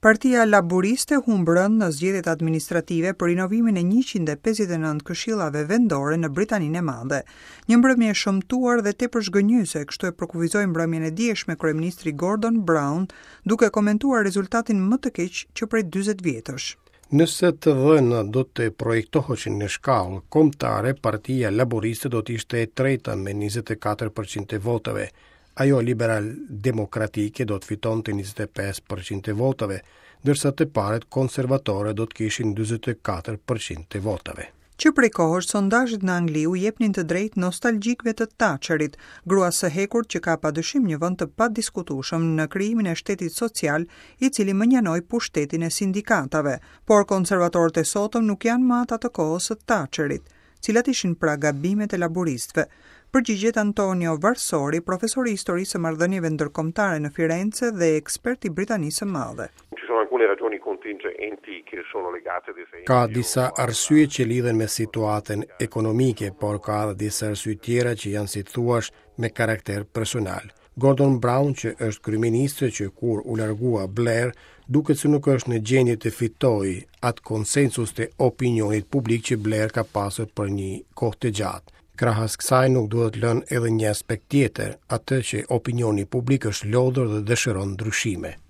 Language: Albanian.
Partia Laburiste humb rëndë në zgjedhjet administrative për rinovimin e 159 këshillave vendore në Britaninë e Madhe. Një mbrëmje e shëmtuar dhe tepër zhgënjyese, kështu e përkufizoi mbrëmjen e djeshme kryeministri Gordon Brown, duke komentuar rezultatin më të keq që prej 40 vjetësh. Nëse të dhënat do të projektoheshin në shkallë kombëtare, Partia Laburiste do të ishte e treta me 24% të votave. Ajo liberal demokratike do të fitonte 25% të votave, ndërsa të parët konservatore do të kishin 44% të votave. Që prej kohësh sondazhet në Angli u jepnin të drejtë nostalgjikëve të Thatcherit, gruas së hekurt që ka padyshim një vend të padiskutueshëm në krijimin e shtetit social, i cili mënjanoi pushtetin e sindikatave. Por konservatorët e sotëm nuk janë më ata të kohës së Thatcherit. Cilat ishin pra gabimet e laburistëve? Përgjigjet Antonio Varsori, profesor i historisë së marrëdhënieve ndërkombëtare në Firence dhe ekspert i Britanisë së Madhe. Ka disa arsye që lidhen me situatën ekonomike, por ka edhe disa arsye tjera që janë si të thuash me karakter personal. Gordon Brown, që është kryeministër që kur u largua Blair, duket se nuk është në gjendje të fitojë atë konsensus të opinionit publik që Blair ka pasur për një kohë të gjatë. Krahas kësaj nuk duhet lënë edhe një aspekt tjetër, atë që opinioni publik është lodhur dhe dëshiron ndryshime.